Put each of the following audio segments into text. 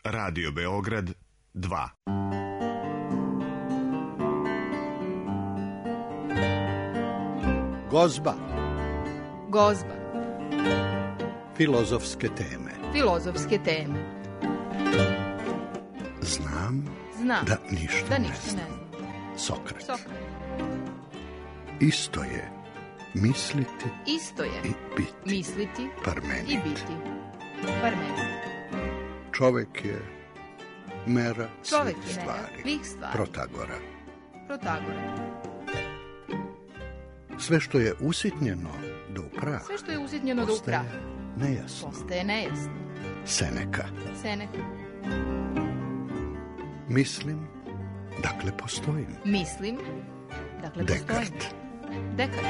Radio Beograd 2. Gozba. Gozba. Filozofske teme. Filozofske teme. Znam Da ništa ništa ne ne znam. znam. Sokrat. Sokrat. Isto je misliti Isto je i biti. misliti Parmenid. i biti. Parmenid. Čovek je mera Čovek svih je stvari. svih stvari. Protagora. Protagora. Sve što je usitnjeno do prah Sve što je usitnjeno do praha nejasno. postaje nejasno. Seneka. Seneca. Mislim, dakle postojim. Mislim, dakle postojim. Dekart. Dekart.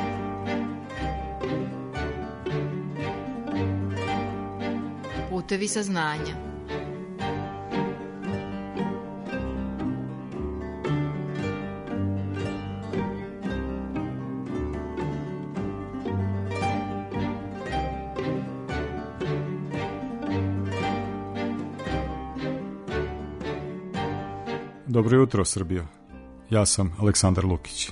Putevi saznanja. Dobro jutro, Srbijo. Ja sam Aleksandar Lukić.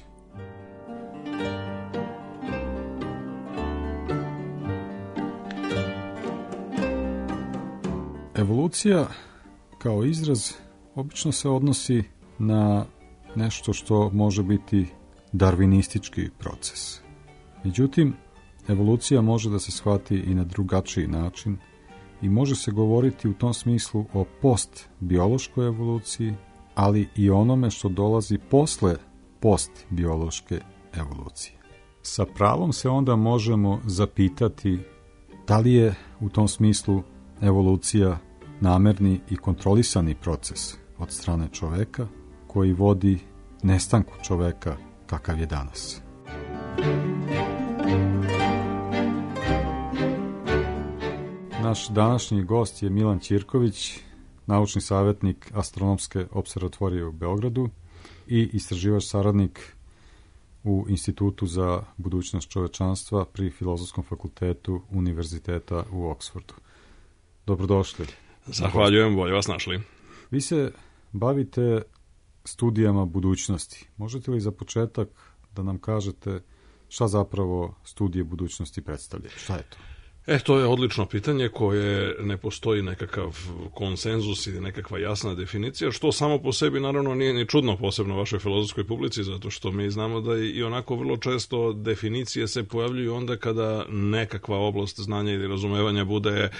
Evolucija kao izraz obično se odnosi na nešto što može biti darvinistički proces. Međutim, evolucija može da se shvati i na drugačiji način i može se govoriti u tom smislu o postbiološkoj evoluciji, ali i onome što dolazi posle postbiološke evolucije. Sa pravom se onda možemo zapitati da li je u tom smislu evolucija namerni i kontrolisani proces od strane čoveka koji vodi nestanku čoveka kakav je danas. Naš današnji gost je Milan Ćirković, naučni savjetnik Astronomske opservatorije u Beogradu i istraživač saradnik u Institutu za budućnost čovečanstva pri Filozofskom fakultetu Univerziteta u Oksfordu. Dobrodošli. Zahvaljujem, bolje vas našli. Vi se bavite studijama budućnosti. Možete li za početak da nam kažete šta zapravo studije budućnosti predstavljaju? Šta je to? To je odlično pitanje koje ne postoji nekakav konsenzus ili nekakva jasna definicija, što samo po sebi naravno nije ni čudno, posebno u vašoj filozofskoj publici, zato što mi znamo da i onako vrlo često definicije se pojavljuju onda kada nekakva oblast znanja ili razumevanja bude,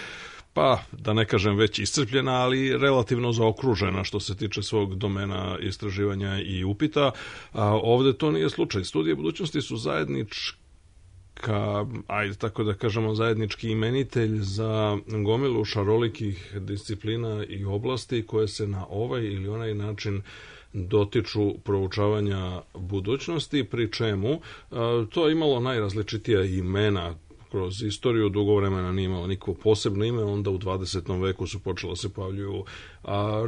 pa da ne kažem već iscrpljena, ali relativno zaokružena što se tiče svog domena istraživanja i upita. A ovde to nije slučaj. Studije budućnosti su tako da kažemo, zajednički imenitelj za gomilu šarolikih disciplina i oblasti koje se na ovaj ili onaj način dotiču proučavanja budućnosti, pri čemu to je imalo najrazličitija imena kroz istoriju, dugo vremena nije imalo nikako posebno ime, onda u 20. veku su počela se pojavljuju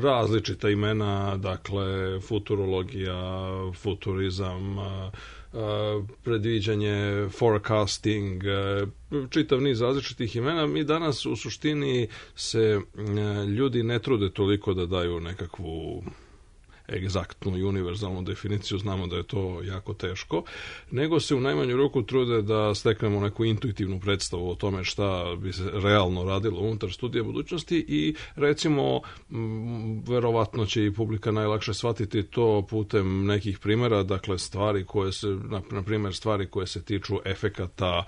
različita imena, dakle futurologija, futurizam, predviđanje, forecasting, čitav niz različitih imena. Mi danas u suštini se ljudi ne trude toliko da daju nekakvu egzaktnu i univerzalnu definiciju, znamo da je to jako teško, nego se u najmanju ruku trude da steknemo neku intuitivnu predstavu o tome šta bi se realno radilo unutar studija budućnosti i recimo, verovatno će i publika najlakše shvatiti to putem nekih primjera, dakle stvari koje se, na primjer stvari koje se tiču efekata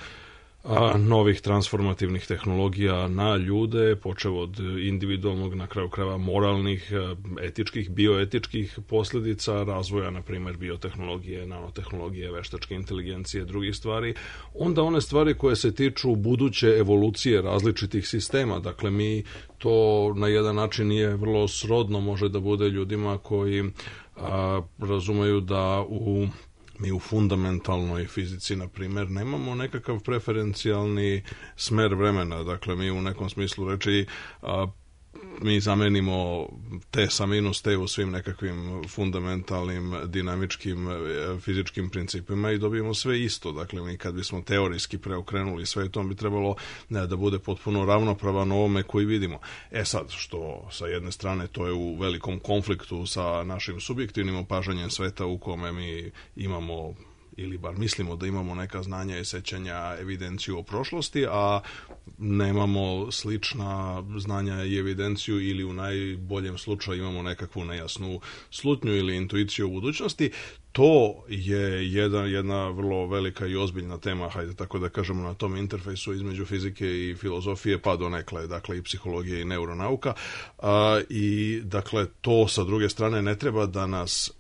novih transformativnih tehnologija na ljude, počev od individualnog, na kraju krajeva moralnih, etičkih, bioetičkih posljedica razvoja, na primjer, biotehnologije, nanotehnologije, veštačke inteligencije, drugih stvari, onda one stvari koje se tiču buduće evolucije različitih sistema. Dakle, mi to na jedan način nije vrlo srodno, može da bude ljudima koji razumeju da mi u fundamentalnoj fizici, na primjer, nemamo nekakav preferencijalni smer vremena. Dakle, mi u nekom smislu reči mi zamenimo t sa minus t u svim nekakvim fundamentalnim, dinamičkim, fizičkim principima i dobijemo sve isto. Dakle, mi kad bismo teorijski preokrenuli sve, to bi trebalo da bude potpuno ravnopravan ovome koji vidimo. Sad, što sa jedne strane to je u velikom konfliktu sa našim subjektivnim opažanjem sveta u kome mi imamo ili bar mislimo da imamo neka znanja i sećanja, evidenciju o prošlosti, a nemamo slična znanja i evidenciju ili u najboljem slučaju imamo nekakvu nejasnu slutnju ili intuiciju u budućnosti. To je jedna vrlo velika i ozbiljna tema, hajde tako da kažemo, na tom interfejsu između fizike i filozofije, pa donekle, dakle, i psihologije i neuronauka. I, dakle, to sa druge strane ne treba da nas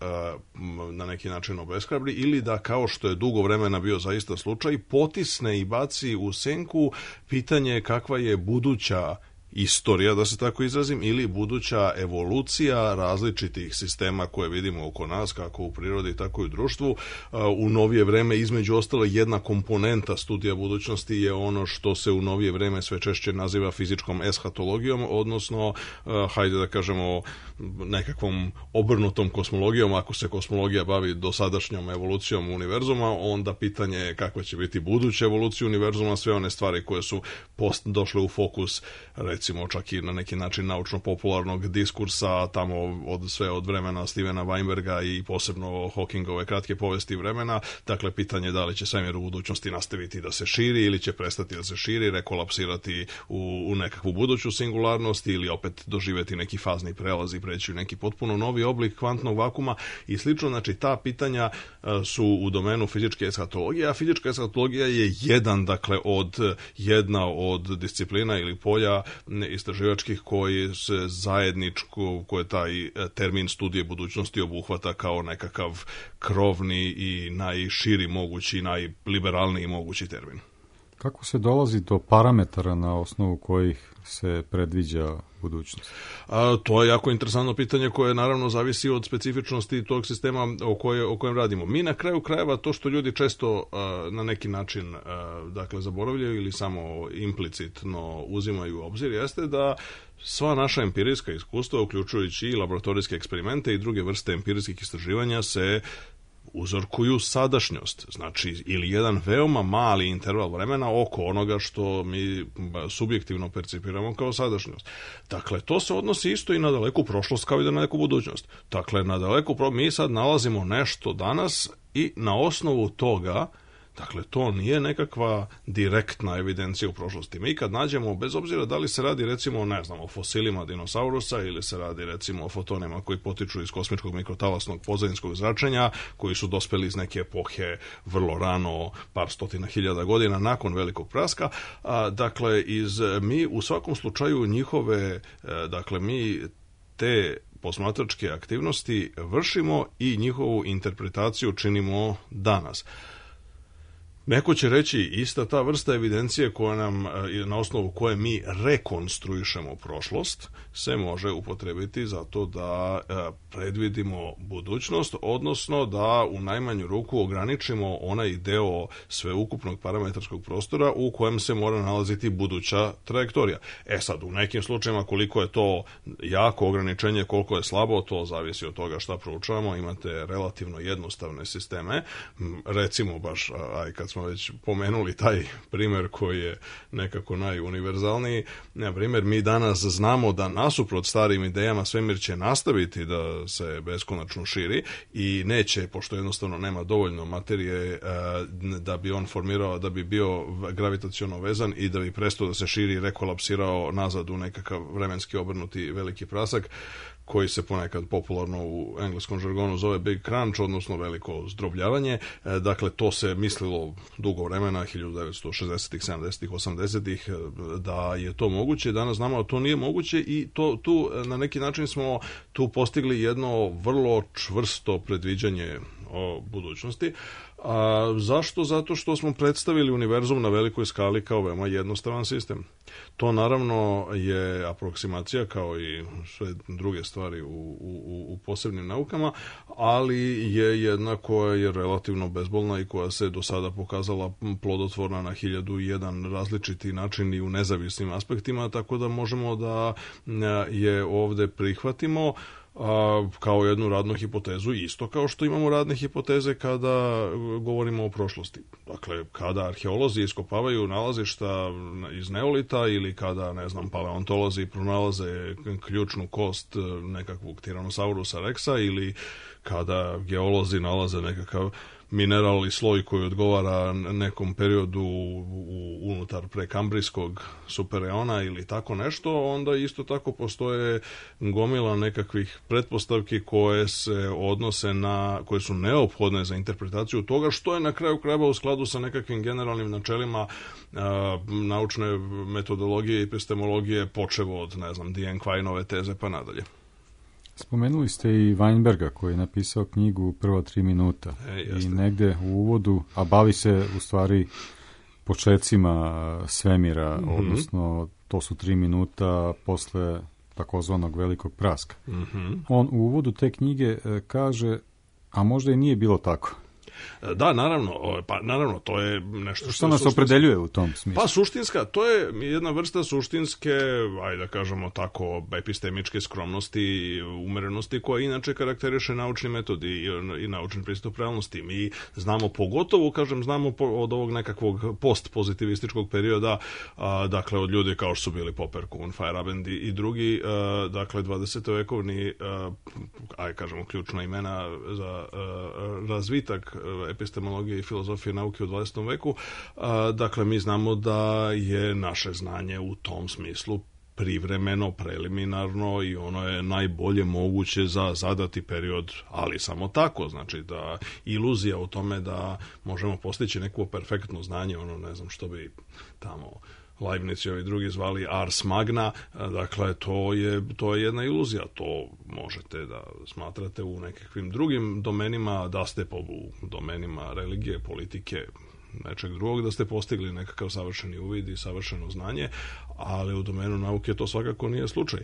na neki način obeshrabri ili da, kao što je dugo vremena bio zaista slučaj, potisne i baci u senku pitanje kakva je buduća istorija, da se tako izrazim, ili buduća evolucija različitih sistema koje vidimo oko nas, kako u prirodi, tako i u društvu. U novije vreme, između ostalo, jedna komponenta studija budućnosti je ono što se u novije vreme sve češće naziva fizičkom eshatologijom, odnosno, hajde da kažemo, nekakvom obrnutom kosmologijom. Ako se kosmologija bavi dosadašnjom evolucijom univerzuma, onda pitanje je kakva će biti buduća evolucija univerzuma, sve one stvari koje su došle u fokus, recimo čak i na neki način naučno-popularnog diskursa, tamo od vremena Stevena Weinberga i posebno Hawkingove kratke povesti vremena. Dakle, pitanje je da li će svemir u budućnosti nastaviti da se širi ili će prestati da se širi, rekolapsirati u nekakvu buduću singularnost ili opet doživjeti neki fazni prelaz i preći u neki potpuno novi oblik kvantnog vakuma i slično. Znači, ta pitanja su u domenu fizičke eshatologije, a fizička eshatologija je jedna od disciplina ili polja istraživačkih koji se zajedničko, koje taj termin studije budućnosti obuhvata kao nekakav krovni i najširi mogući, najliberalniji mogući termin. Kako se dolazi do parametara na osnovu kojih se predviđa budućnost? To je jako interesantno pitanje koje naravno zavisi od specifičnosti tog sistema o kojem radimo. Mi na kraju krajeva to što ljudi često na neki način zaboravljaju ili samo implicitno uzimaju u obzir jeste da sva naša empirijska iskustva, uključujući i laboratorijske eksperimente i druge vrste empirijskih istraživanja, se uzorkuju sadašnjost, znači ili jedan veoma mali interval vremena oko onoga što mi subjektivno percipiramo kao sadašnjost. Dakle, to se odnosi isto i na daleku prošlost kao i na daleku budućnost. Dakle, na daleku mi sad nalazimo nešto danas i na osnovu toga, dakle, to nije nekakva direktna evidencija u prošlosti. Mi kad nađemo, bez obzira da li se radi, recimo, ne znam, o fosilima dinosaurusa ili se radi, recimo, o fotonima koji potiču iz kosmičkog mikrotalasnog pozadinskog zračenja, koji su dospeli iz neke epohe vrlo rano, par stotina hiljada godina nakon velikog praska, dakle, mi u svakom slučaju njihove, dakle, mi te posmatračke aktivnosti vršimo i njihovu interpretaciju činimo danas. Neko će reći, ista ta vrsta evidencije koja nam, na osnovu koje mi rekonstruišemo prošlost, se može upotrebiti zato da predvidimo budućnost, odnosno da u najmanju ruku ograničimo onaj deo sveukupnog parametarskog prostora u kojem se mora nalaziti buduća trajektorija. Sad, u nekim slučajima koliko je to jako ograničenje, koliko je slabo, to zavisi od toga šta proučavamo. Imate relativno jednostavne sisteme, recimo baš, kad smo već pomenuli taj primjer koji je nekako najuniverzalniji. Na primjer, mi danas znamo da nasuprot starim idejama svemir će nastaviti da se beskonačno širi i neće, pošto jednostavno nema dovoljno materije da bi on formirao, da bi bio gravitaciono vezan i da bi prestao da se širi i rekolapsirao nazad u nekakav vremenski obrnuti veliki prasak, koji se ponekad popularno u engleskom žargonu zove Big Crunch, odnosno veliko zdrobljavanje. Dakle, to se mislilo dugo vremena, 1960-ih, 70-ih, 80-ih, da je to moguće. Danas znamo da to nije moguće i tu na neki način smo tu postigli jedno vrlo čvrsto predviđanje o budućnosti. A zašto? Zato što smo predstavili univerzum na velikoj skali kao veoma jednostavan sistem. To naravno je aproksimacija kao i sve druge stvari u posebnim naukama, ali je jedna koja je relativno bezbolna i koja se do sada pokazala plodotvorna na 1001 različiti način i u nezavisnim aspektima, tako da možemo da je ovde prihvatimo kao jednu radnu hipotezu, isto kao što imamo radne hipoteze kada govorimo o prošlosti. Dakle, kada arheolozi iskopavaju nalazišta iz neolita ili kada, ne znam, paleontolozi pronalaze ključnu kost nekakvog Tyrannosaurusa Rexa ili kada geolozi nalaze nekakav mineral i sloj koji odgovara nekom periodu unutar prekambrijskog supereona ili tako nešto, onda isto tako postoje gomila nekakvih pretpostavki koje se odnose koje su neophodne za interpretaciju toga, što je na kraju krajeva u skladu sa nekakvim generalnim načelima naučne metodologije i epistemologije, počevo od, ne znam, Diane Quineove teze pa nadalje. Spomenuli ste i Weinberga koji je napisao knjigu Prva 3 minuta i negde u uvodu, a bavi se u stvari počecima svemira, odnosno to su 3 minuta posle takozvanog velikog praska. On u uvodu te knjige kaže, a možda i nije bilo tako. Da, naravno, to je nešto što nas opredeljuje u tom smislu. Pa suštinska, to je jedna vrsta suštinske, ajde da kažemo tako, epistemičke skromnosti i umerenosti koja inače karakteriše naučni metod i naučni pristup realnosti. Mi znamo pogotovo, znamo od ovog nekakvog postpozitivističkog perioda, dakle od ljudi kao što su bili Popper, Kuhn, Feyerabend i drugi, dakle 20-vekovni, ajde kažemo ključna imena za razvitak epistemologije i filozofije nauke u 20. veku. Dakle, mi znamo da je naše znanje u tom smislu privremeno, preliminarno i ono je najbolje moguće za zadati period, ali samo tako. Znači da iluzija o tome da možemo postići neko perfektno znanje, ono ne znam što bi tamo Leibniz i ovi drugi zvali ars magna, dakle to je jedna iluzija, to možete da smatrate u nekakvim drugim domenima, da ste u domenima religije, politike, nečeg drugog, da ste postigli nekakav savršeni uvid i savršeno znanje, ali u domenu nauke to svakako nije slučaj.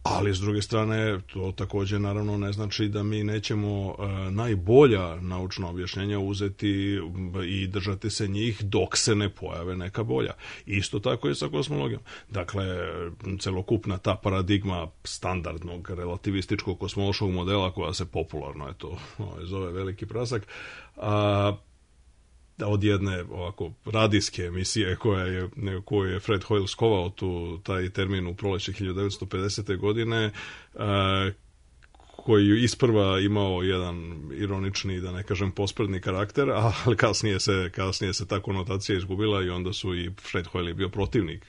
Ali s druge strane, to također naravno ne znači da mi nećemo najbolja naučna objašnjenja uzeti i držati se njih dok se ne pojave neka bolja. Isto tako je sa kosmologijom. Dakle, celokupna ta paradigma standardnog relativističkog kosmološkog modela koja se popularno zove veliki prasak, od jedne ovako radijske emisije koju je Fred Hoyle skovao taj termin u proleće 1950. godine, koji je isprva imao jedan ironični, da ne kažem posprdni karakter, ali kasnije se ta konotacija izgubila i onda su i Fred Hoyle bio protivnik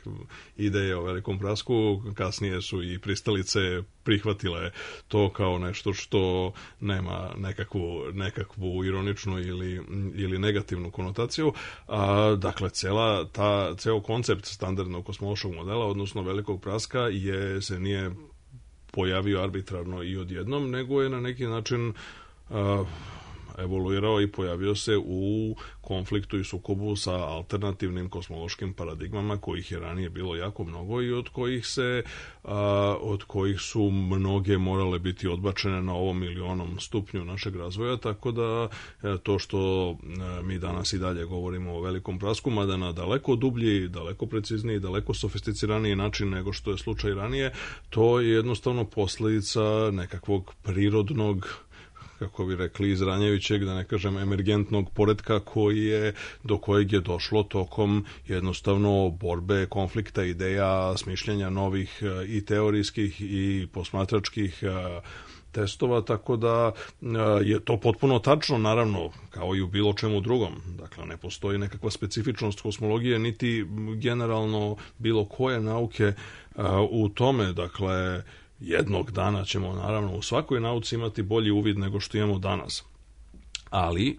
ideje o velikom prasku, kasnije su i pristalice prihvatile to kao nešto što nema nekakvu ironičnu ili negativnu konotaciju. Dakle, ceo koncept standardnog kosmološkog modela, odnosno velikog praska, se nije pojavio arbitrarno i odjednom, nego je na neki način evoluirao i pojavio se u konfliktu i sukobu sa alternativnim kosmološkim paradigmama, kojih je ranije bilo jako mnogo i od kojih su mnoge morale biti odbačene na ovom ili onom stupnju našeg razvoja, tako da to što mi danas i dalje govorimo o velikom prasku, mada na daleko dublji, daleko precizniji, daleko sofisticiraniji način nego što je slučaj ranije, to je jednostavno posljedica nekakvog prirodnog, kako bi rekli, izranjajućeg, da ne kažem emergentnog poretka do kojeg je došlo tokom jednostavno borbe, konflikta, ideja, smišljanja novih i teorijskih i posmatračkih testova, tako da je to potpuno tačno, naravno, kao i u bilo čemu drugom. Dakle, ne postoji nekakva specifičnost kosmologije, niti generalno bilo koje nauke u tome. Dakle, jednog dana ćemo naravno u svakoj nauci imati bolji uvid nego što imamo danas. Ali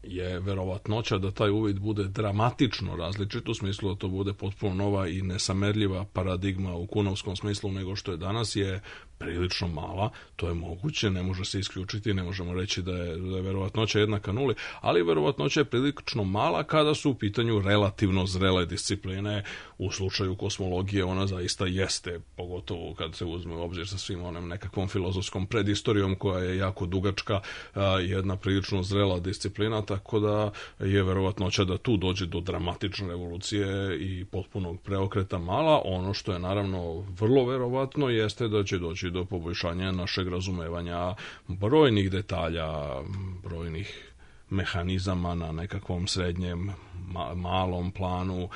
je verovatnoća da taj uvid bude dramatično različit, u smislu da to bude potpuno nova i nesamerljiva paradigma u kunovskom smislu nego što je danas, je prilično mala, to je moguće, ne može se isključiti, ne možemo reći da je verovatnoća jednaka nuli, ali verovatnoća je prilično mala kada su u pitanju relativno zrele discipline. U slučaju kosmologije ona zaista jeste, pogotovo kad se uzme u obzir sa svim onom nekakvom filozofskom predistorijom koja je jako dugačka, jedna prilično zrela disciplina, tako da je verovatnoća da tu dođe do dramatične revolucije i potpunog preokreta mala. Ono što je naravno vrlo verovatno jeste da će doći do poboljšanja našeg razumevanja brojnih detalja, brojnih mehanizama na nekakvom srednjem malom planu,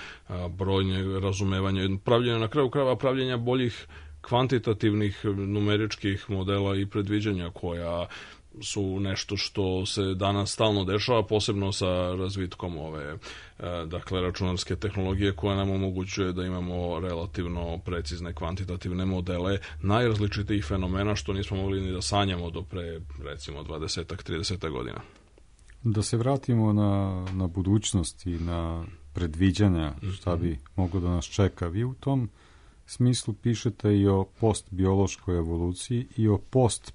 brojne razumevanja, pravljenja na kraju krajeva pravljenja boljih kvantitativnih numeričkih modela i predviđanja koja su nešto što se danas stalno dešava, posebno sa razvitkom ove računarske tehnologije koja nam omogućuje da imamo relativno precizne kvantitativne modele najrazličitijih fenomena što nismo mogli ni da sanjamo do pre recimo 20-30 godina. Da se vratimo na budućnost i na predviđanja šta bi moglo da nas čeka. Vi u tom smislu pišete i o postbiološkoj evoluciji i o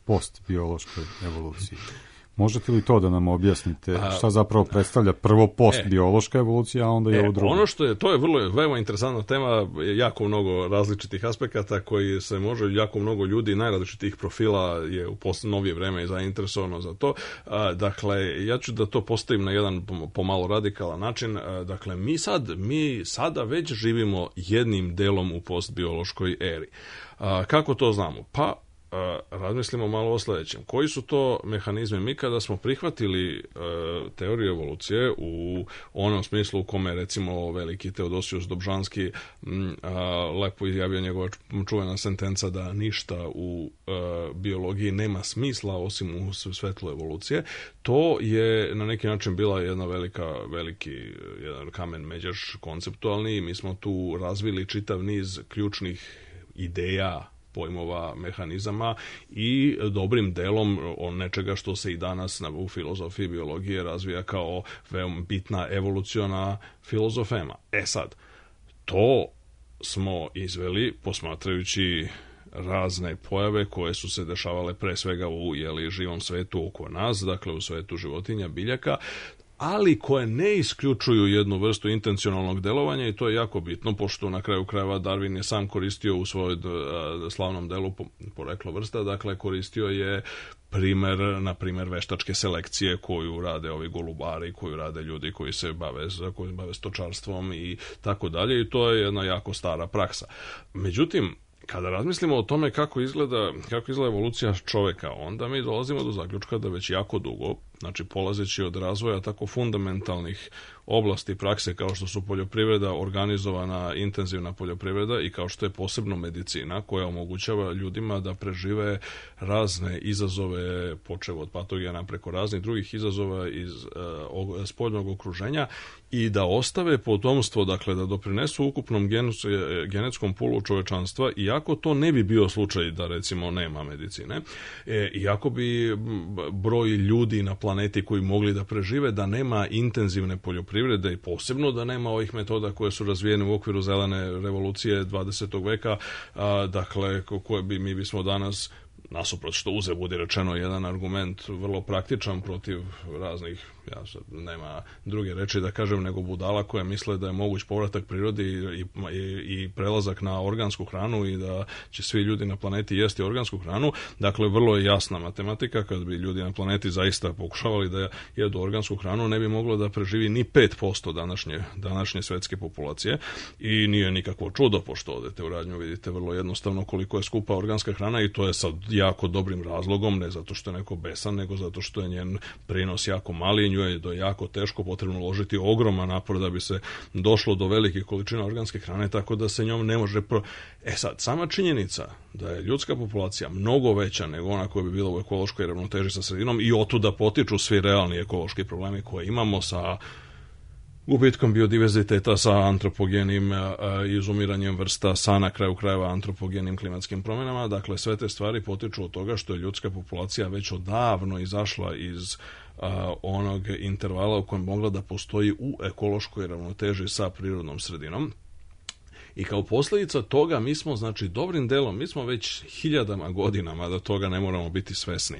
postbiološkoj evoluciji. Možete li to da nam objasnite šta zapravo predstavlja prvo postbiološka evolucija, a onda i ovo drugo? Ono što je, to je veoma interesantna tema, jako mnogo različitih aspekata koji se može, jako mnogo ljudi najrazličitih profila je u novije vreme zainteresovano za to. Dakle, ja ću da to postavim na jedan pomalo radikalan način. Dakle, mi sada već živimo jednim delom u postbiološkoj eri. Kako to znamo? Pa, razmislimo malo o sledećem. Koji su to mehanizmi? Mi kada smo prihvatili teoriju evolucije u onom smislu u kome recimo veliki Teodosijus Dobžanski lepo izjavio njegova čuvena sentenca da ništa u biologiji nema smisla osim u svetlu evolucije, to je na neki način bila jedna jedan kamen međaš konceptualni i mi smo tu razvili čitav niz ključnih ideja, pojmova, mehanizama i dobrim delom nečega što se i danas u filozofiji biologije razvija kao veoma bitna evoluciona filozofema. Sad, to smo izveli posmatrajući razne pojave koje su se dešavale pre svega u živom svetu oko nas, dakle u svetu životinja, biljaka, ali koje ne isključuju jednu vrstu intencionalnog delovanja i to je jako bitno, pošto na kraju krajeva Darwin je sam koristio u svojoj slavnom delu Poreklo vrsta, dakle koristio je na primjer veštačke selekcije koju rade ovi golubari, koju rade ljudi koji se bave stočarstvom i tako dalje i to je jedna jako stara praksa. Međutim, kada razmislimo o tome kako izgleda evolucija čoveka, onda mi dolazimo do zaključka da već jako dugo, znači polazeći od razvoja tako fundamentalnih oblasti prakse kao što su poljoprivreda, organizovana intenzivna poljoprivreda i kao što je posebno medicina koja omogućava ljudima da prežive razne izazove, počev od patogena preko raznih drugih izazova iz spoljnog okruženja i da ostave potomstvo, dakle da doprinesu ukupnom genetskom pulu čovečanstva, iako to ne bi bio slučaj da recimo nema medicine, iako bi broj ljudi na planeti koji mogli da prežive, da nema intenzivne poljoprivrede i posebno da nema ovih metoda koje su razvijene u okviru zelene revolucije 20. veka, dakle koje mi bismo danas, nasuprot što uze budi rečeno jedan argument vrlo praktičan protiv raznih, nema druge reči da kažem nego budala koje misle da je moguć povratak prirodi i prelazak na organsku hranu i da će svi ljudi na planeti jesti organsku hranu. Dakle, vrlo je jasna matematika, kad bi ljudi na planeti zaista pokušavali da jedu organsku hranu, ne bi moglo da preživi ni 5% današnje svetske populacije i nije nikakvo čudo, pošto odete u radnju, vidite vrlo jednostavno koliko je skupa organska hrana i to je sad jako dobrim razlogom, ne zato što je neko besan, nego zato što je njen prinos jako mali i nju je jako teško, potrebno uložiti ogroman napor da bi se došlo do velikih količina organske hrane, tako da se njom ne može... sad, sama činjenica da je ljudska populacija mnogo veća nego ona koja bi bila u ekološkoj ravnoteži sa sredinom i otuda potiču svi realni ekološki problemi koje imamo sa gubitkom biodiverziteta, sa antropogenim izumiranjem vrsta, sa na kraju krajeva antropogenim klimatskim promjenama. Dakle, sve te stvari potiču od toga što je ljudska populacija već odavno izašla iz onog intervala u kojem mogla da postoji u ekološkoj ravnoteži sa prirodnom sredinom. I kao posljedica toga mi smo, znači, dobrim delom, mi smo već hiljadama godinama da toga ne moramo biti svesni.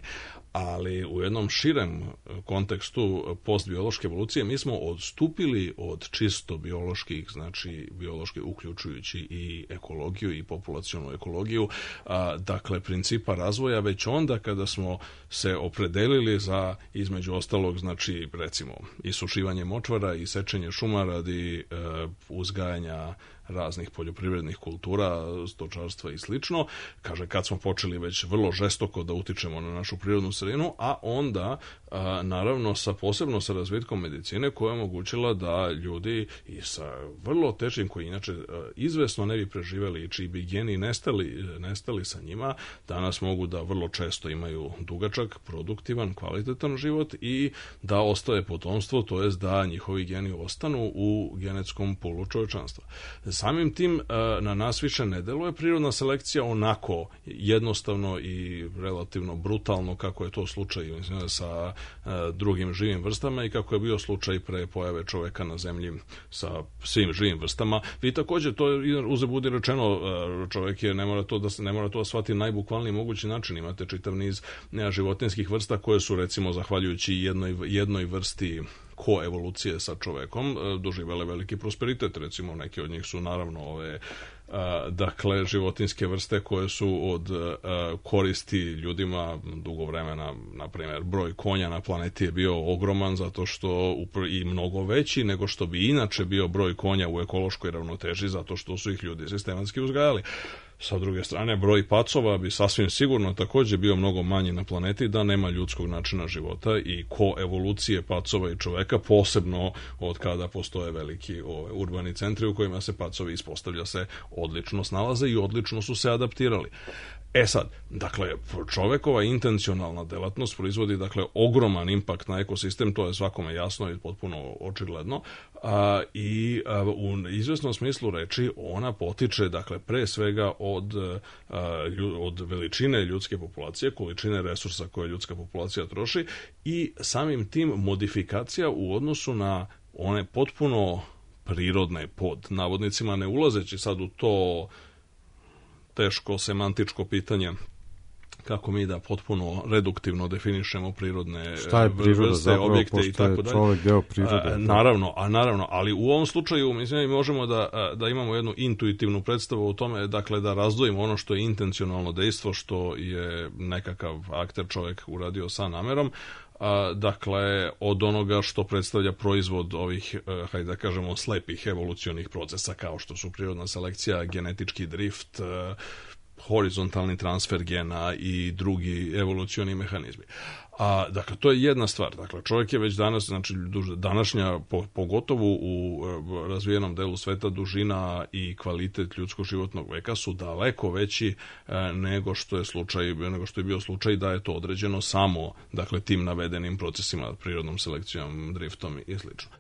Ali u jednom širem kontekstu postbiološke evolucije mi smo odstupili od čisto bioloških, znači biološki uključujući i ekologiju i populacionu ekologiju, dakle principa razvoja već onda kada smo se opredelili za, između ostalog, znači recimo isušivanje močvara i sečenje šuma radi uzgajanja raznih poljoprivrednih kultura, stočarstva i slično. Kaže, kad smo počeli već vrlo žestoko da utičemo na našu prirodnu sredinu, a onda, naravno, posebno sa razvitkom medicine koja je omogućila da ljudi i sa vrlo teškim, koji inače izvesno ne bi preživeli i čiji bi geni nestali sa njima, danas mogu da vrlo često imaju dugačak, produktivan, kvalitetan život i da ostaje potomstvo, to jest da njihovi geni ostanu u genetskom pulu čovečanstva. Samim tim na nas više ne deluje prirodna selekcija onako jednostavno i relativno brutalno kako je to slučaj sa drugim živim vrstama i kako je bio slučaj pre pojave čoveka na zemlji sa svim živim vrstama. Vi također, to je uzet budi rečeno, čovek ne mora to da shvati najbukvalniji mogući način. Imate čitav niz životinjskih vrsta koje su, recimo, zahvaljujući jednoj vrsti koevolucije sa čovekom doživele veliki prosperitet. Recimo, neke od njih su naravno dakle životinjske vrste koje su od koristi ljudima dugo vremena. Na primjer, broj konja na planeti je bio ogroman zato što i mnogo veći nego što bi inače bio broj konja u ekološkoj ravnoteži zato što su ih ljudi sistematski uzgajali. Sa druge strane, broj pacova bi sasvim sigurno također bio mnogo manji na planeti da nema ljudskog načina života i koevolucije pacova i čoveka, posebno od kada postoje veliki urbani centri u kojima se pacovi, ispostavlja se, odlično snalaze i odlično su se adaptirali. E sad, dakle, čovekova intencionalna delatnost proizvodi, dakle, ogroman impakt na ekosistem, to je svakome jasno i potpuno očigledno, i u izvesnom smislu reči ona potiče, dakle, pre svega od veličine ljudske populacije, količine resursa koje ljudska populacija troši i samim tim modifikacija u odnosu na one potpuno prirodne, pod navodnicima, ne ulazeći sad u to teško semantičko pitanje kako mi da potpuno reduktivno definišemo prirodne vrste, objekte i tako dalje. Čovjek deo prirode. Naravno, ali u ovom slučaju mislim možemo da imamo jednu intuitivnu predstavu o tome, dakle da razdvojimo ono što je intencionalno dejstvo, što je nekakav akter čovjek uradio sa namerom, dakle od onoga što predstavlja proizvod ovih, hajde da kažemo, slepih evolucionih procesa kao što su prirodna selekcija, genetički drift, horizontalni transfer gena i drugi evolucioni mehanizmi. Dakle, to je jedna stvar. Dakle, čovjek je već danas, znači današnja, pogotovo u razvijenom delu sveta, dužina i kvalitet ljudskog životnog veka su daleko veći nego što je bio slučaj da je to određeno samo, dakle, tim navedenim procesima, prirodnom selekcijom, driftom i slično.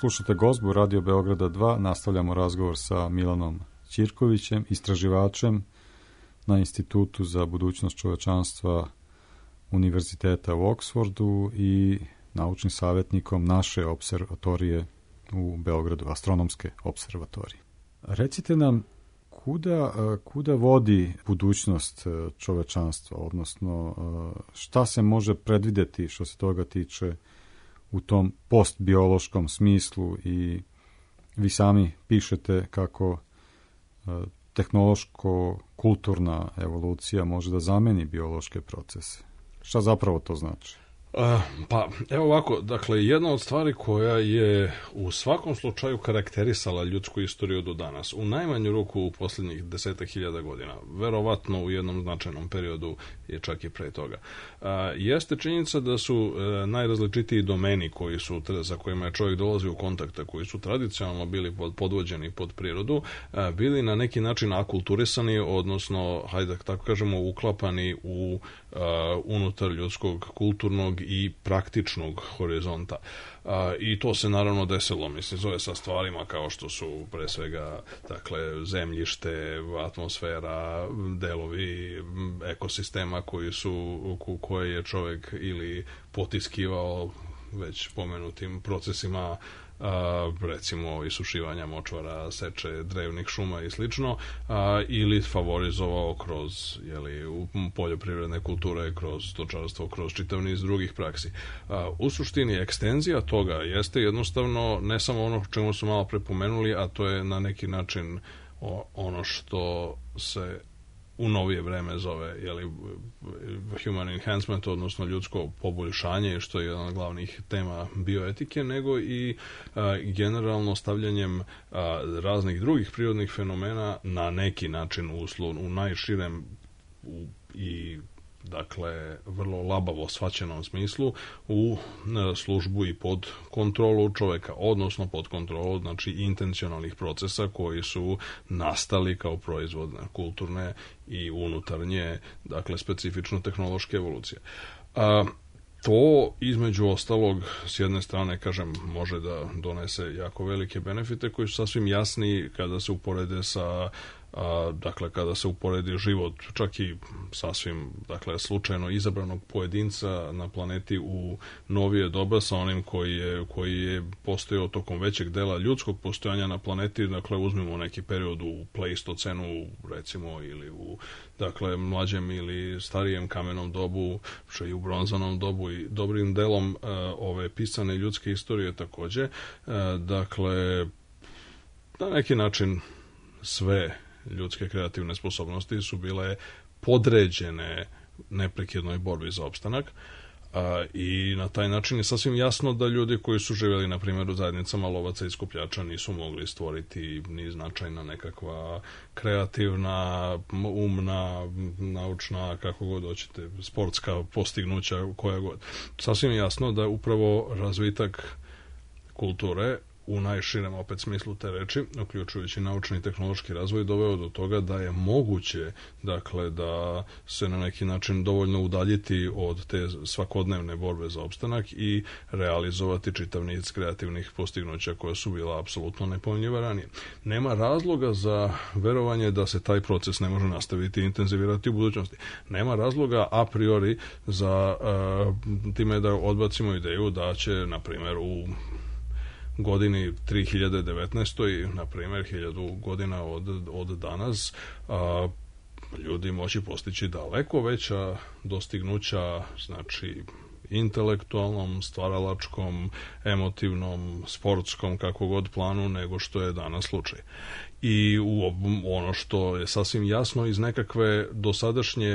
Slušate Gozbu Radio Beograda 2, nastavljamo razgovor sa Milanom Ćirkovićem, istraživačem na Institutu za budućnost čovečanstva Univerziteta u Oksfordu i naučnim savjetnikom naše observatorije u Beogradu, astronomske observatorije. Recite nam, kuda vodi budućnost čovečanstva, odnosno šta se može predvideti što se toga tiče u tom postbiološkom smislu, i vi sami pišete kako tehnološko-kulturna evolucija može da zameni biološke procese. Šta zapravo to znači? Pa, evo ovako, dakle, jedna od stvari koja je u svakom slučaju karakterisala ljudsku istoriju do danas, u najmanju ruku u posljednjih 10.000 godina, verovatno u jednom značajnom periodu je čak i pre toga, jeste činjenica da su najrazličitiji domeni koji su, sa kojima je čovjek dolazio u kontakta, koji su tradicionalno bili podvođeni pod prirodu, bili na neki način akulturisani, odnosno, hajde tako kažemo, uklapani u unutar ljudskog kulturnog i praktičnog horizonta. I to se naravno desilo, zove sa stvarima kao što su pre svega, dakle, zemljište, atmosfera, delovi ekosistema koje je čovjek ili potiskivao već pomenutim procesima, recimo isušivanja močvara, seče drevnih šuma i slično, ili favorizovao kroz poljoprivredne kulture, kroz stočarstvo, kroz čitav niz drugih praksi. U suštini ekstenzija toga jeste jednostavno ne samo ono čemu su malo prepomenuli, a to je na neki način ono što se u novije vreme zove human enhancement, odnosno ljudsko poboljšanje, što je jedna od glavnih tema bioetike, nego i generalno stavljanjem raznih drugih prirodnih fenomena na neki način u najširem i dakle vrlo labavo shvaćenom smislu u službu i pod kontrolu čoveka, odnosno pod kontrolu, znači, intencionalnih procesa koji su nastali kao proizvod kulturne i unutarnje, dakle, specifično tehnološke evolucije. To, između ostalog, s jedne strane, kažem, može da donese jako velike benefite koji su sasvim jasni kada se uporede sa dakle, kada se uporedi život čak i sasvim, dakle, slučajno izabranog pojedinca na planeti u novije doba sa onim koji je postojao tokom većeg dela ljudskog postojanja na planeti, dakle, uzmimo neki period u Pleistocenu, recimo, ili u, dakle, mlađem ili starijem kamenom dobu, što i u bronzanom dobu, i dobrim delom ove pisane ljudske istorije takođe. Dakle, na neki način sve ljudske kreativne sposobnosti su bile podređene neprekidnoj borbi za opstanak, i na taj način je sasvim jasno da ljudi koji su živjeli, na primjer, u zajednicama lovaca i skupljača nisu mogli stvoriti ni značajna nekakva kreativna, umna, naučna, kako god hoćete, sportska postignuća, koja god. Sasvim jasno da upravo razvitak kulture u najširem opet smislu te reči, uključujući naučni i tehnološki razvoj, doveo do toga da je moguće, dakle, da se na neki način dovoljno udaljiti od te svakodnevne borbe za opstanak i realizovati čitav niz kreativnih postignuća koja su bila apsolutno nepojmljiva ranije. Nema razloga za verovanje da se taj proces ne može nastaviti i intenzivirati u budućnosti. Nema razloga a priori za time da odbacimo ideju da će, na primjer, u godini 3019. na primjer 1000 godina od danas ljudi moći postići daleko veća dostignuća, znači intelektualnom, stvaralačkom, emotivnom, sportskom, kako god planu, nego što je danas slučaj. I ono što je sasvim jasno iz nekakve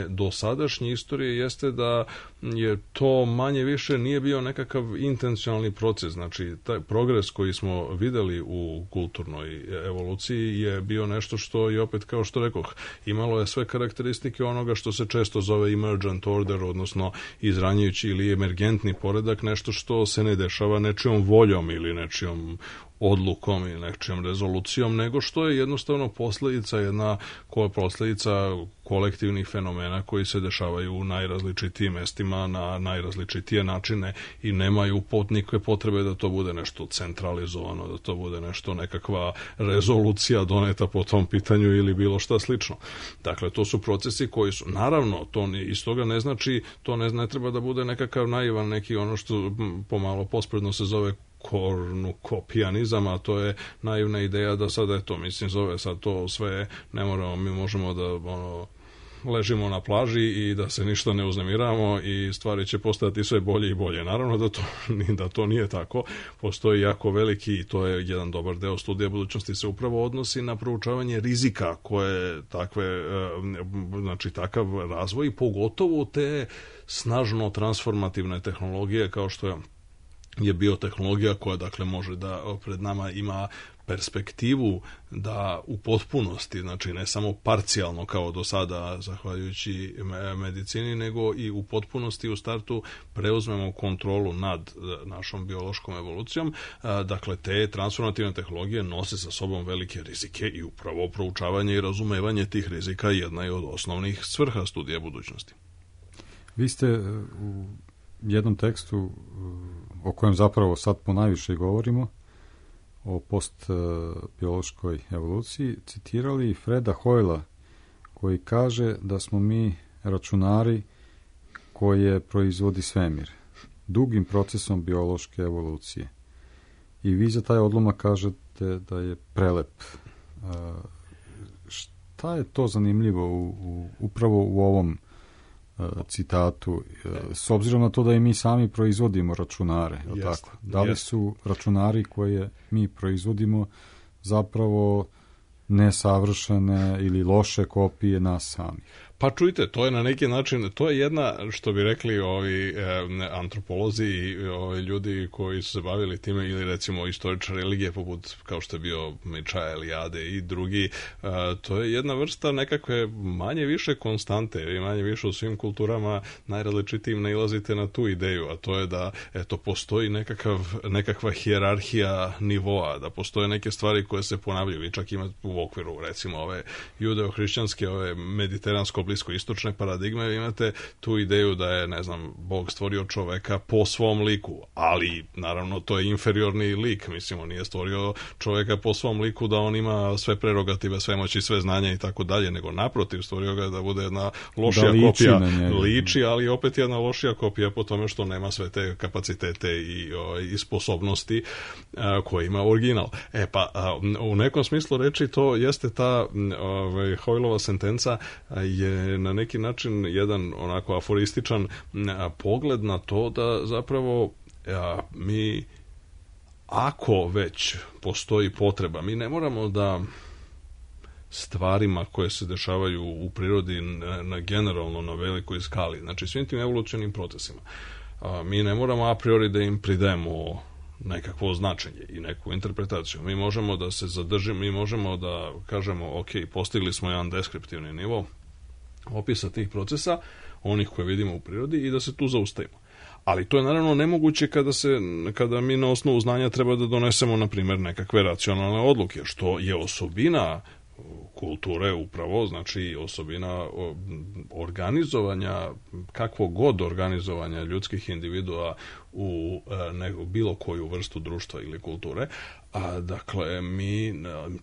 dosadašnje istorije jeste da je to manje više nije bio nekakav intencionalni proces. Znači, taj progres koji smo videli u kulturnoj evoluciji je bio nešto što je, opet, kao što rekoh, imalo je sve karakteristike onoga što se često zove emergent order, odnosno izranjujući ili emergentni poredak, nešto što se ne dešava nečijom voljom ili nečijom odlukom i nečijom rezolucijom, nego što je jednostavno posljedica kolektivnih fenomena koji se dešavaju u najrazličitijim mestima na najrazličitije načine i nemaju nikakve potrebe da to bude nešto centralizovano, da to bude nešto nekakva rezolucija doneta po tom pitanju ili bilo šta slično. Dakle, to su procesi koji su, naravno, to iz toga ne znači, to ne treba da bude nekakav naivan, neki ono što pomalo pospredno se zove kornukopijanizam, a to je naivna ideja da sada je to, zove sad to sve, ne moramo, mi možemo da ležimo na plaži i da se ništa ne uznemiravamo i stvari će postajati sve bolje i bolje. Naravno da to nije tako. Postoji jako veliki, i to je jedan dobar deo studija budućnosti, se upravo odnosi na proučavanje rizika koje takav razvoj, pogotovo te snažno transformativne tehnologije kao što je biotehnologija, koja dakle može da pred nama ima perspektivu da u potpunosti, znači ne samo parcijalno kao do sada zahvaljujući medicini, nego i u potpunosti u startu preuzmemo kontrolu nad našom biološkom evolucijom. Dakle, te transformativne tehnologije nose sa sobom velike rizike i upravo proučavanje i razumevanje tih rizika jedna je od osnovnih svrha studija budućnosti. Vi ste u jednom tekstu o kojem zapravo sad ponajviše govorimo, o postbiološkoj evoluciji, citirali Freda Hoyla, koji kaže da smo mi računari koje proizvodi svemir, dugim procesom biološke evolucije. I vi za taj odlomak kažete da je prelep. Šta je to zanimljivo upravo u ovom citatu, s obzirom na to da i mi sami proizvodimo računare, tako? Da li su računari koje mi proizvodimo zapravo nesavršene ili loše kopije nas samih? Pa čujte, to je na neki način, to je jedna, što bi rekli ovi antropolozi i ljudi koji su se bavili time, ili recimo istoričari religije poput kao što je bio Mičaja Eliade i drugi, to je jedna vrsta nekakve manje više konstante i manje više u svim kulturama najrazličitijim nailazite na tu ideju, a to je da postoji nekakva hijerarhija nivoa, da postoje neke stvari koje se ponavljaju i čak ima u okviru recimo ove judeo-hrišćanske, ove mediteransko bliskoistočne paradigme, imate tu ideju da je, Bog stvorio čoveka po svom liku, ali naravno to je inferiorni lik, on nije stvorio čoveka po svom liku da on ima sve prerogative, sve moći, sve znanja i tako dalje, nego naprotiv, stvorio ga da bude jedna lošija kopija, liči, ali opet jedna lošija kopija po tome što nema sve te kapacitete i sposobnosti koje ima original. U nekom smislu reči to jeste ta Hoylova sentenca je na neki način jedan onako aforističan pogled na to da zapravo mi, ako već postoji potreba, mi ne moramo da stvarima koje se dešavaju u prirodi na generalno na velikoj skali, znači svim tim evolucionim procesima, mi ne moramo a priori da im pridajemo nekakvo značenje i neku interpretaciju. Mi možemo da se zadržimo, mi možemo da kažemo ok, postigli smo jedan deskriptivni nivo opisa tih procesa, onih koje vidimo u prirodi, i da se tu zaustavimo. Ali to je naravno nemoguće kada mi na osnovu znanja treba da donesemo, na primjer, nekakve racionalne odluke, što je osobina kulture upravo, znači osobina organizovanja, kakvog god organizovanja ljudskih individua u bilo koju vrstu društva ili kulture. Dakle, mi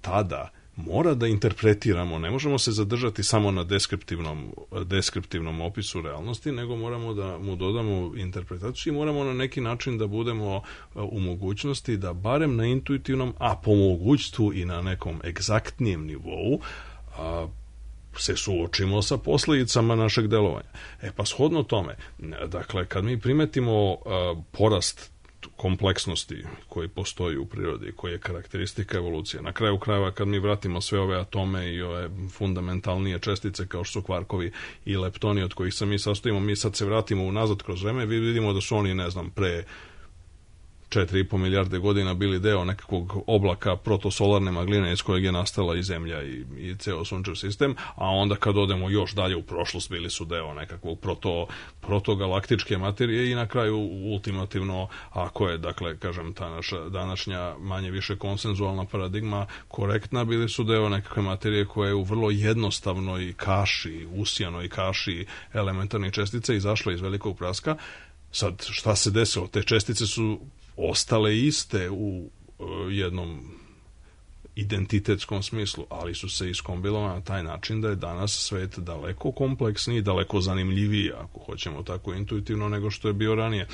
tada mora da interpretiramo, ne možemo se zadržati samo na deskriptivnom opisu realnosti, nego moramo da mu dodamo interpretaciju i moramo na neki način da budemo u mogućnosti da barem na intuitivnom, a po mogućstvu i na nekom egzaktnijem nivou se suočimo sa posljedicama našeg delovanja. Pa shodno tome, dakle, kad mi primetimo porast kompleksnosti koji postoji u prirodi, koji je karakteristika evolucije. Na kraju krajeva, kad mi vratimo sve ove atome i ove fundamentalnije čestice kao što su kvarkovi i leptoni od kojih se mi sastojimo, mi sad se vratimo unazad kroz vreme, vidimo da su oni, pre 4,5 milijarde godina bili deo nekakvog oblaka protosolarne magline iz kojeg je nastala i Zemlja i ceo sunčev sistem, a onda kad odemo još dalje u prošlost bili su deo nekakvog protogalaktičke materije i na kraju ultimativno, ako je, dakle, kažem, ta naša današnja manje više konsenzualna paradigma korektna, bili su deo nekakve materije koja je u vrlo jednostavnoj kaši, usijanoj kaši elementarnih čestica izašla iz velikog praska. Sad, šta se desilo? Te čestice su ostale iste u jednom identitetskom smislu, ali su se iskombilovane na taj način da je danas svet daleko kompleksniji, daleko zanimljiviji, ako hoćemo tako intuitivno, nego što je bio ranije.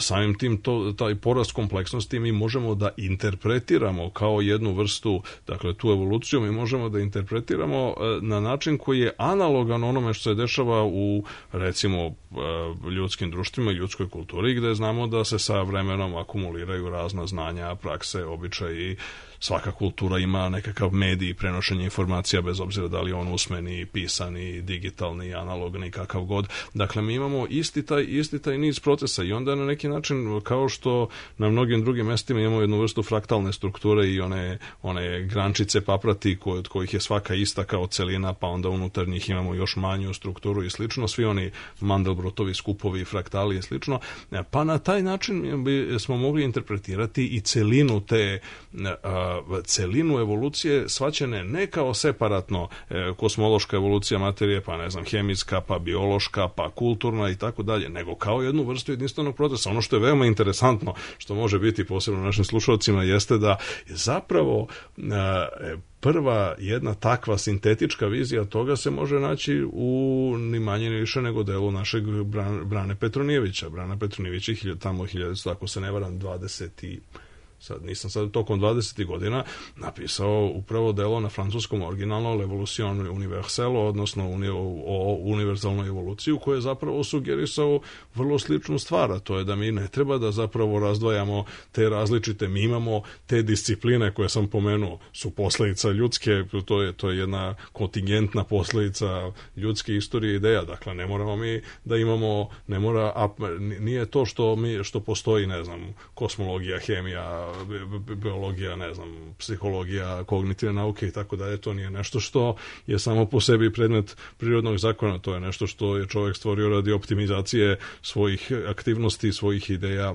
Samim tim taj porast kompleksnosti mi možemo da interpretiramo kao jednu vrstu, dakle tu evoluciju mi možemo da interpretiramo na način koji je analogan onome što se dešava u, recimo, ljudskim društvima i ljudskoj kulturi, gde znamo da se sa vremenom akumuliraju razna znanja, prakse, običaji. Svaka kultura ima nekakav medij prenošenja informacija, bez obzira da li on usmeni, pisani, digitalni, analogni, kakav god. Dakle, mi imamo isti taj niz procesa i onda na neki način, kao što na mnogim drugim mestima imamo jednu vrstu fraktalne strukture i one grančice paprati od kojih je svaka ista kao celina, pa onda unutar njih imamo još manju strukturu i slično, svi oni Mandelbrotovi skupovi, fraktali i slično, pa na taj način smo mogli interpretirati i celinu evolucije shvaćene ne kao separatno kosmološka evolucija materije, pa ne znam, hemijska, pa biološka, pa kulturna i tako dalje, nego kao jednu vrstu jedinstvenog procesa. Ono što je veoma interesantno, što može biti posebno našim slušalcima, jeste da zapravo prva jedna takva sintetička vizija toga se može naći u ni manje ni više nego delu našeg Brane Petronijevića. Brana Petronijević je tamo 1900, ako se ne varam, tokom 20. godina napisao upravo delo na francuskom originalno L'Evolution universelle, odnosno o univerzalnoj evoluciji, koje je zapravo sugerisao vrlo sličnu stvar, a to je da mi ne treba da zapravo razdvajamo te različite, mi imamo te discipline koje sam pomenuo, su posledica ljudske, to je jedna kontingentna posledica ljudske istorije ideja, dakle ne moramo mi da imamo, nije to što postoji, ne znam, kosmologija, hemija, biologija, ne znam, psihologija, kognitivne nauke i tako dalje, to nije nešto što je samo po sebi predmet prirodnog zakona, to je nešto što je čovjek stvorio radi optimizacije svojih aktivnosti, svojih ideja,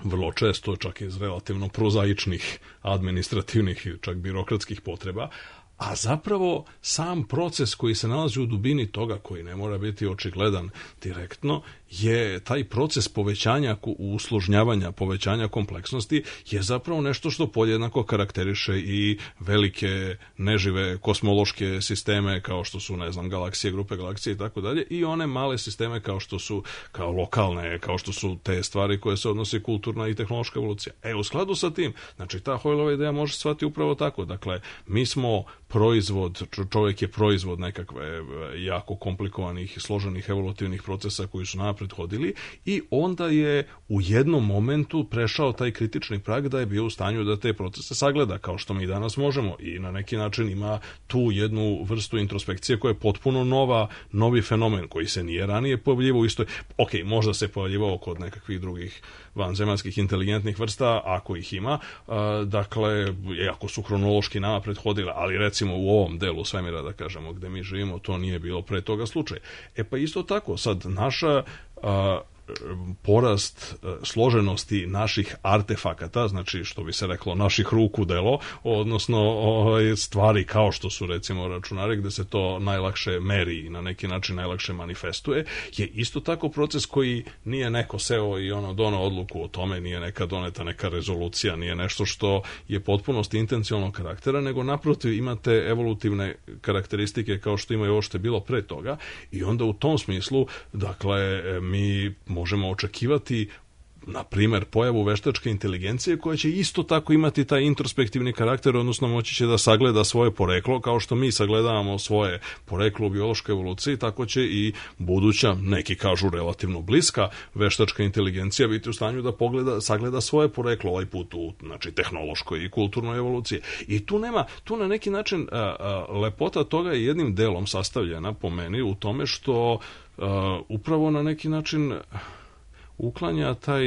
vrlo često čak iz relativno prozaičnih, administrativnih i čak birokratskih potreba, a zapravo sam proces koji se nalazi u dubini toga, koji ne mora biti očigledan direktno, je taj proces povećanja usložnjavanja, povećanja kompleksnosti, je zapravo nešto što podjednako karakteriše i velike nežive kosmološke sisteme kao što su, ne znam, galaksije, grupe galaksije i tako dalje, i one male sisteme kao što su, kao lokalne, kao što su te stvari koje se odnose kulturna i tehnološka evolucija. U skladu sa tim, znači ta Hoyleova ideja može shvatiti upravo tako. Dakle, mi smo proizvod, čovjek je proizvod nekakve jako komplikovanih i složenih evolutivnih procesa koji su napred hodili i onda je u jednom momentu prešao taj kritični prag da je bio u stanju da te procese sagleda, kao što mi danas možemo, i na neki način ima tu jednu vrstu introspekcije koja je potpuno novi fenomen koji se nije ranije pojavljivao u istoj, možda se pojavljivao kod nekakvih drugih vanzemaljskih inteligentnih vrsta, ako ih ima, dakle, ako su hronološki nama prethodile, ali recimo u ovom delu svemira, da kažemo, gde mi živimo, to nije bilo pre toga slučaj. Pa isto tako, sad naša porast složenosti naših artefakata, znači što bi se reklo naših ruku delo, odnosno stvari kao što su recimo računari gde se to najlakše meri i na neki način najlakše manifestuje, je isto tako proces koji nije neko seo i doneo odluku o tome, nije neka doneta neka rezolucija, nije nešto što je potpunosti intencionalnog karaktera, nego naprotiv imate evolutivne karakteristike kao što ima i ovo što je bilo pre toga, i onda u tom smislu, dakle, mi možemo očekivati, na primjer, pojavu veštačke inteligencije koja će isto tako imati taj introspektivni karakter, odnosno moći će da sagleda svoje poreklo, kao što mi sagledavamo svoje poreklo u biološkoj evoluciji, tako će i buduća, neki kažu relativno bliska, veštačka inteligencija biti u stanju da sagleda svoje poreklo, ovaj put u, znači, tehnološkoj i kulturnoj evoluciji. I tu na neki način lepota toga je jednim delom sastavljena, po meni, u tome što upravo na neki način uklanja taj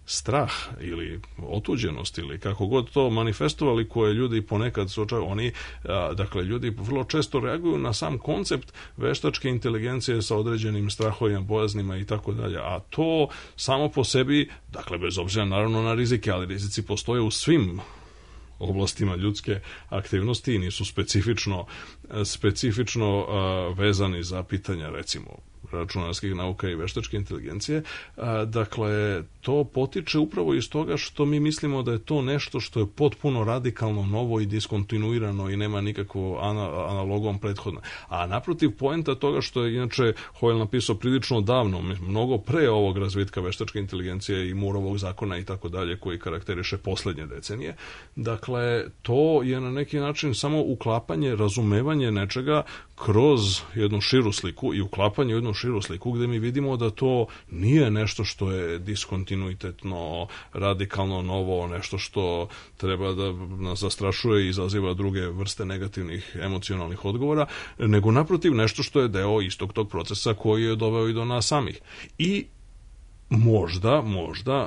strah ili otuđenost ili kako god to manifestovali, koje ljudi ponekad dakle ljudi vrlo često reaguju na sam koncept veštačke inteligencije sa određenim strahovima, bojaznima i tako dalje, a to samo po sebi, dakle bez obzira naravno na rizike, ali rizici postoje u svim oblastima ljudske aktivnosti i nisu specifično vezani za pitanja recimo računarskih nauka i veštačke inteligencije. Dakle, to potiče upravo iz toga što mi mislimo da je to nešto što je potpuno radikalno novo i diskontinuirano i nema nikakvo analogom prethodno. A naprotiv, poenta toga što je inače Hoyle napisao prilično davno, mnogo pre ovog razvitka veštačke inteligencije i Mooreovog zakona i tako dalje, koji karakteriše poslednje decenije. Dakle, to je na neki način samo uklapanje, razumevanje nečega kroz jednu širu sliku i uklapanje u jednu širu sliku gde mi vidimo da to nije nešto što je diskontinuitetno, radikalno novo, nešto što treba da nas zastrašuje i izaziva druge vrste negativnih emocionalnih odgovora, nego naprotiv nešto što je deo istog tog procesa koji je doveo i do nas samih. I možda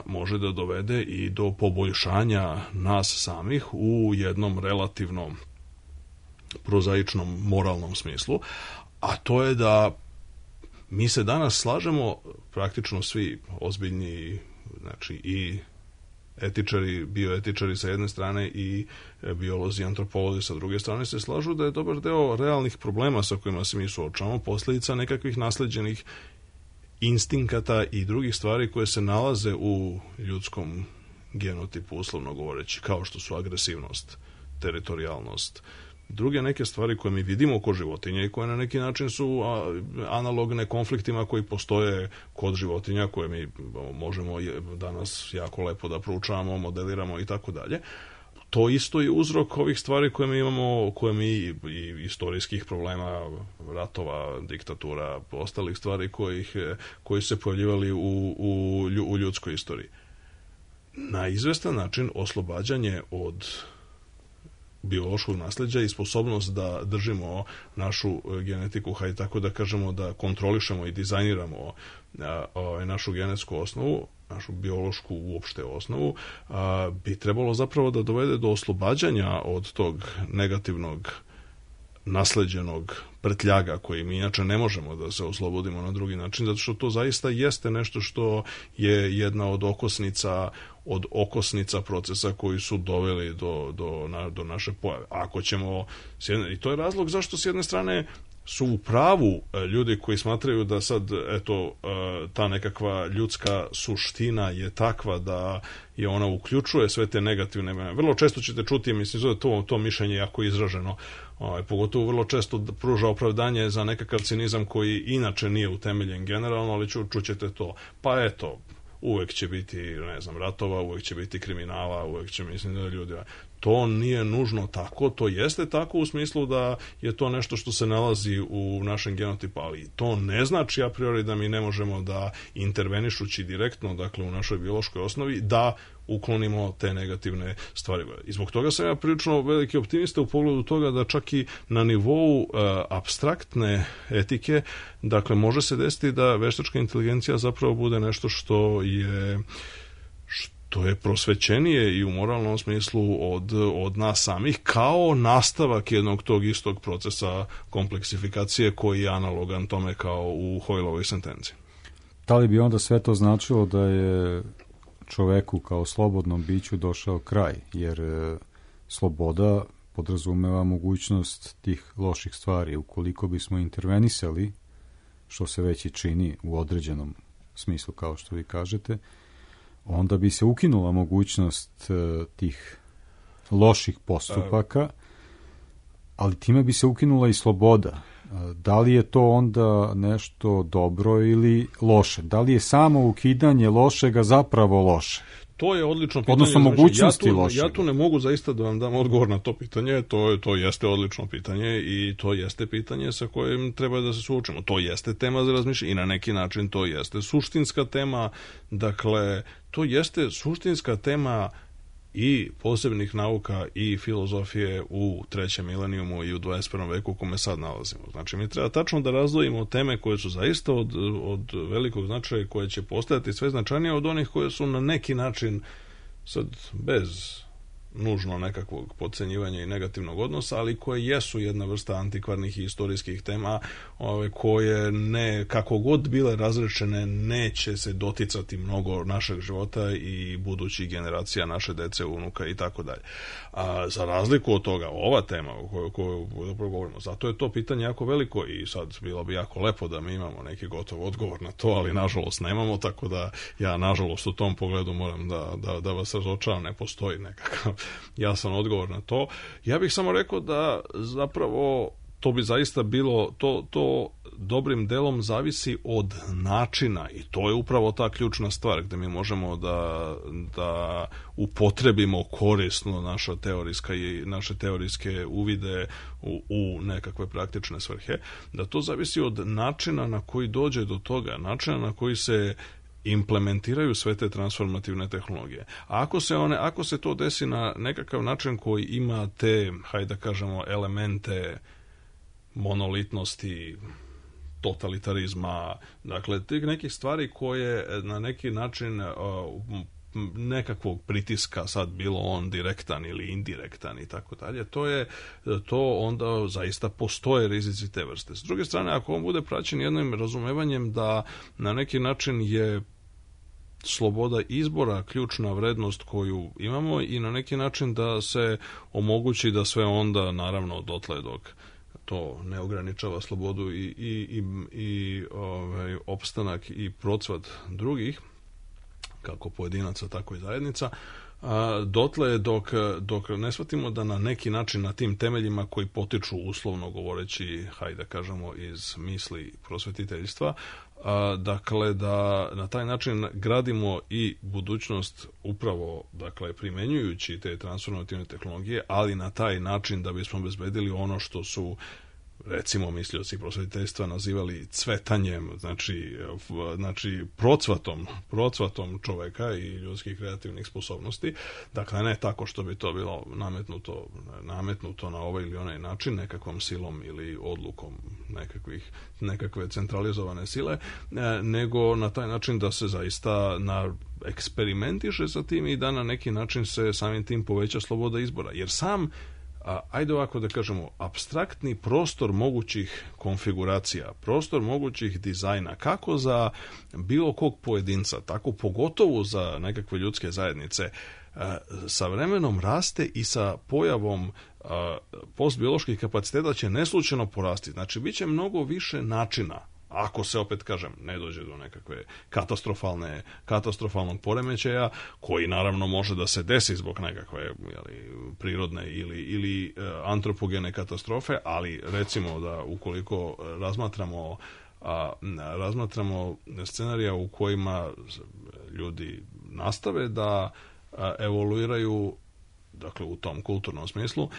može da dovede i do poboljšanja nas samih u jednom relativno prozaičnom moralnom smislu, a to je da mi se danas slažemo, praktično svi ozbiljni, znači i etičari, bioetičari sa jedne strane i biolozi, antropolozi sa druge strane, se slažu da je dobar deo realnih problema sa kojima se mi suočavamo posljedica nekakvih nasleđenih instinkata i drugih stvari koje se nalaze u ljudskom genotipu, uslovno govoreći, kao što su agresivnost, teritorijalnost, druge neke stvari koje mi vidimo kod životinja i koje na neki način su analogne konfliktima koji postoje kod životinja, koje mi možemo danas jako lepo da proučavamo, modeliramo i tako dalje. To isto je uzrok ovih stvari koje mi imamo, koje mi i istorijskih problema, ratova, diktatura, ostalih stvari koji se pojavljivali u ljudskoj istoriji. Na izvestan način oslobađanje od biološkog nasleđa i sposobnost da držimo našu genetiku, hajde tako da kažemo, da kontrolišemo i dizajniramo našu genetsku osnovu, našu biološku uopšte osnovu, bi trebalo zapravo da dovede do oslobađanja od tog negativnog nasleđenog prtljaga koji mi inače ne možemo da se oslobodimo na drugi način, zato što to zaista jeste nešto što je jedna od okosnica procesa koji su doveli do naše pojave. Ako ćemo, i to je razlog zašto s jedne strane su u pravu ljudi koji smatraju da sad, eto, ta nekakva ljudska suština je takva da je ona uključuje sve te negativne. Vrlo često ćete čuti, mislim da je to mišljenje jako izraženo, pogotovo vrlo često pruža opravdanje za nekakav cinizam koji inače nije utemeljen generalno, ali čućete to. Pa eto, uvek će biti, ne znam, ratova, uvek će biti kriminala, uvek će, mislim da ljudi... To nije nužno tako, to jeste tako u smislu da je to nešto što se nalazi u našem genotipu, ali to ne znači a priori da mi ne možemo da intervenišući direktno, dakle u našoj biološkoj osnovi, da uklonimo te negativne stvari. I zbog toga sam ja prilično veliki optimista u pogledu toga da čak i na nivou apstraktne etike, dakle može se desiti da veštačka inteligencija zapravo bude nešto što je prosvećenije i u moralnom smislu od nas samih, kao nastavak jednog tog istog procesa kompleksifikacije koji je analogan tome kao u Hoyleovoj sentenciji. Da li bi onda sve to značilo da je čoveku kao slobodnom biću došao kraj, jer sloboda podrazumeva mogućnost tih loših stvari. Ukoliko bismo intervenisali, što se već i čini u određenom smislu, kao što vi kažete, onda bi se ukinula mogućnost tih loših postupaka, ali time bi se ukinula i sloboda. Da li je to onda nešto dobro ili loše? Da li je samo ukidanje lošega zapravo loše? To je odlično pitanje. Odnosno mogućnosti lošega. Ja tu ne mogu zaista da vam dam odgovor na to pitanje, to jeste odlično pitanje i to jeste pitanje sa kojim treba da se suočimo. To jeste tema za razmišljanje i na neki način to jeste suštinska tema, dakle, to jeste suštinska tema i posebnih nauka i filozofije u trećem milenijumu i u 21. veku u kome sad nalazimo. Znači, mi treba tačno da razdvojimo teme koje su zaista od velikog značaja i koje će postajati sve značajnije od onih koje su na neki način, sad bez nužno nekakvog podcenjivanja i negativnog odnosa, ali koje jesu jedna vrsta antikvarnih i istorijskih tema, koje ne, kako god bile razrečene, neće se doticati mnogo našeg života i budućih generacija, naše dece, unuka i tako dalje. A za razliku od toga, ova tema o kojoj govorimo, zato je to pitanje jako veliko i sad bilo bi jako lepo da mi imamo neki gotov odgovor na to, ali nažalost nemamo, tako da ja nažalost u tom pogledu moram da vas razočaram, ne postoji nekakav jasan odgovor na to. Ja bih samo rekao da zapravo to bi zaista bilo, to dobrim delom zavisi od načina i to je upravo ta ključna stvar gde mi možemo da upotrebimo korisno naše teorijske uvide u nekakve praktične svrhe, da to zavisi od načina na koji dođe do toga, načina na koji se implementiraju sve te transformativne tehnologije. A ako se to desi na nekakav način koji ima te, hajde da kažemo, elemente monolitnosti, totalitarizma, dakle, tih nekih stvari koje na neki način nekakvog pritiska, sad bilo on direktan ili indirektan i tako dalje, to onda zaista postoje rizici te vrste. S druge strane, ako on bude praćen jednim razumevanjem da na neki način je sloboda izbora ključna vrednost koju imamo i na neki način da se omogući da sve onda, naravno, dotle dok to ne ograničava slobodu i opstanak i procvat drugih, kako pojedinaca, tako i zajednica, dotle dok ne shvatimo da na neki način na tim temeljima koji potiču, uslovno govoreći, hajde da kažemo, iz misli prosvetiteljstva, dakle da na taj način gradimo i budućnost upravo, dakle, primenjujući te transformativne tehnologije, ali na taj način da bismo obezbedili ono što su, recimo, mislioci prosvetiteljstva nazivali cvetanjem, znači procvatom čoveka i ljudskih kreativnih sposobnosti. Dakle, ne tako što bi to bilo nametnuto na ovaj ili onaj način, nekakvom silom ili odlukom nekakve centralizovane sile, nego na taj način da se zaista eksperimentiše sa tim i da na neki način se samim tim poveća sloboda izbora. Jer ajde ovako da kažemo, apstraktni prostor mogućih konfiguracija, prostor mogućih dizajna, kako za bilo kog pojedinca, tako pogotovo za nekakve ljudske zajednice, sa vremenom raste i sa pojavom postbioloških kapaciteta će neslučajno porasti. Znači, bit će mnogo više načina, ako se, opet kažem, ne dođe do nekakve katastrofalnog poremećaja, koji naravno može da se desi zbog nekakve prirodne ili antropogene katastrofe, ali recimo da ukoliko razmatramo scenarija u kojima ljudi nastave da evoluiraju, dakle u tom kulturnom smislu,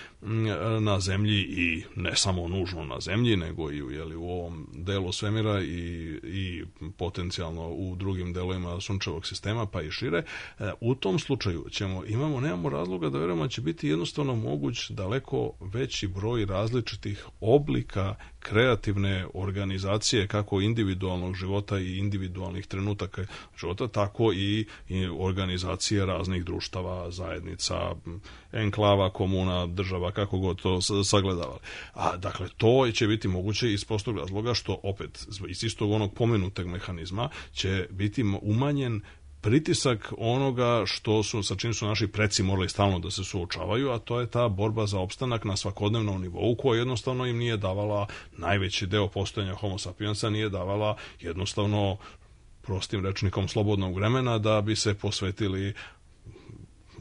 na zemlji i ne samo nužno na zemlji, nego i u ovom delu svemira i potencijalno u drugim delovima sunčevog sistema, pa i šire. U tom slučaju nemamo razloga da verujemo da će biti jednostavno moguć daleko veći broj različitih oblika kreativne organizacije, kako individualnog života i individualnih trenutaka života, tako i organizacije raznih društava, zajednica, enklava, komuna, država, kako god to sagledavali. Dakle, to će biti moguće iz prostog razloga što, opet, iz istog onog pomenutog mehanizma će biti umanjen pritisak onoga sa čim su naši preci morali stalno da se suočavaju, a to je ta borba za opstanak na svakodnevnom nivou, koja jednostavno im nije davala, najveći deo postojanja Homo sapiensa nije davala jednostavno, prostim rečnikom, slobodnog vremena da bi se posvetili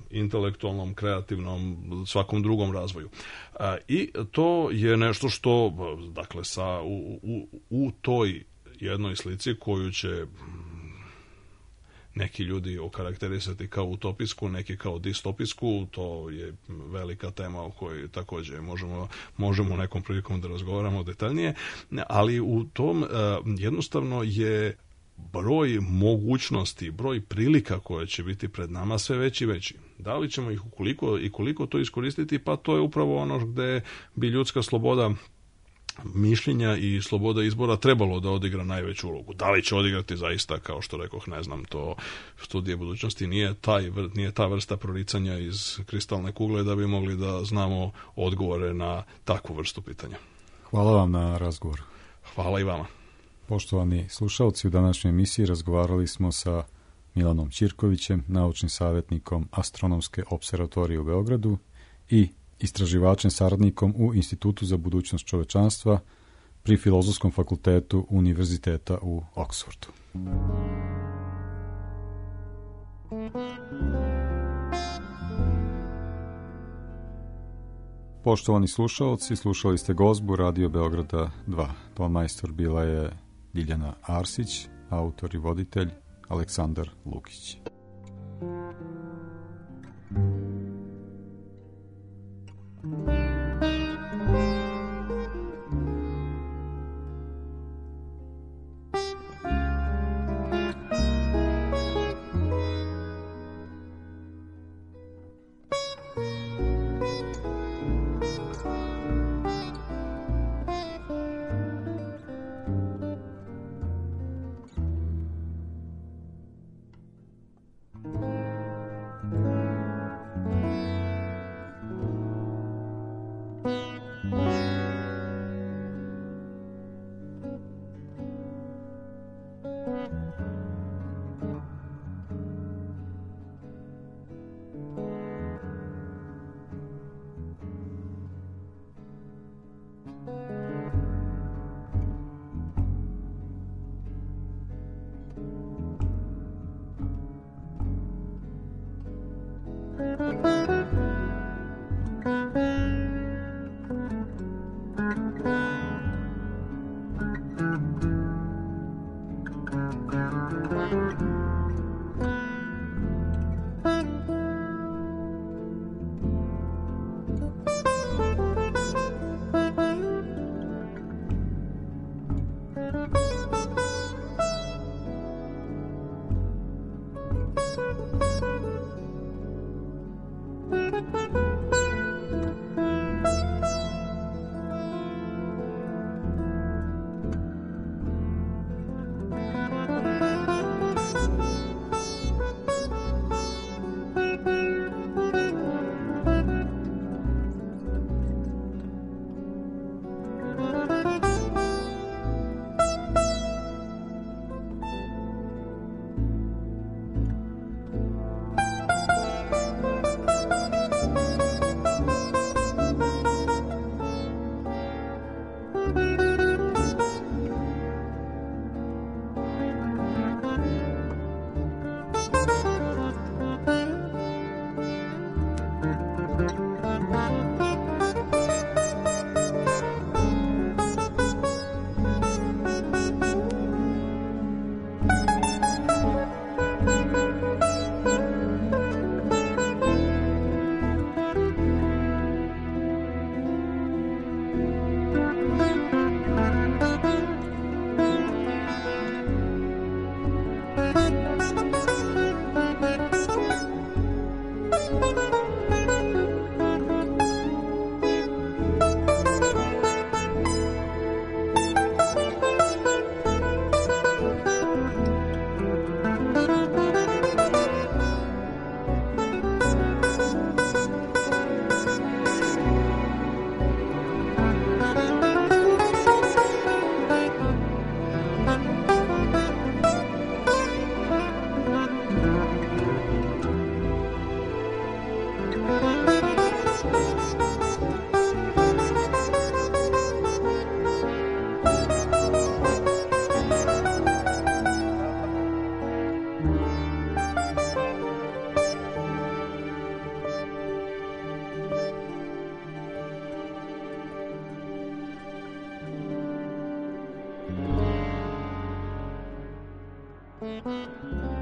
intelektualnom, kreativnom, svakom drugom razvoju. I to je nešto što, dakle, u toj jednoj slici koju će neki ljudi okarakterisati kao utopijsku, neki kao distopijsku, to je velika tema o kojoj također možemo nekom prilikom da razgovaramo detaljnije, ali u tom jednostavno je broj mogućnosti, broj prilika koje će biti pred nama sve veći i veći. Da li ćemo ih koliko to iskoristiti, pa to je upravo ono gde bi ljudska sloboda mišljenja i sloboda izbora trebalo da odigra najveću ulogu. Da li će odigrati zaista, kao što rekoh, ne znam, to studije budućnosti nije ta vrsta proricanja iz kristalne kugle da bi mogli da znamo odgovore na takvu vrstu pitanja. Hvala vam na razgovor. Hvala i vama. Poštovani slušalci, u današnjoj emisiji razgovarali smo sa Milanom Ćirkovićem, naučnim savjetnikom Astronomske observatorije u Beogradu i istraživačem saradnikom u Institutu za budućnost čovečanstva pri Filozofskom fakultetu Univerziteta u Oksfordu. Poštovani slušalci, slušali ste gozbu Radio Beograda 2. Tonmajstor bila je Ljiljana Arsić, autor i voditelj Aleksandar Lukić. Thank you.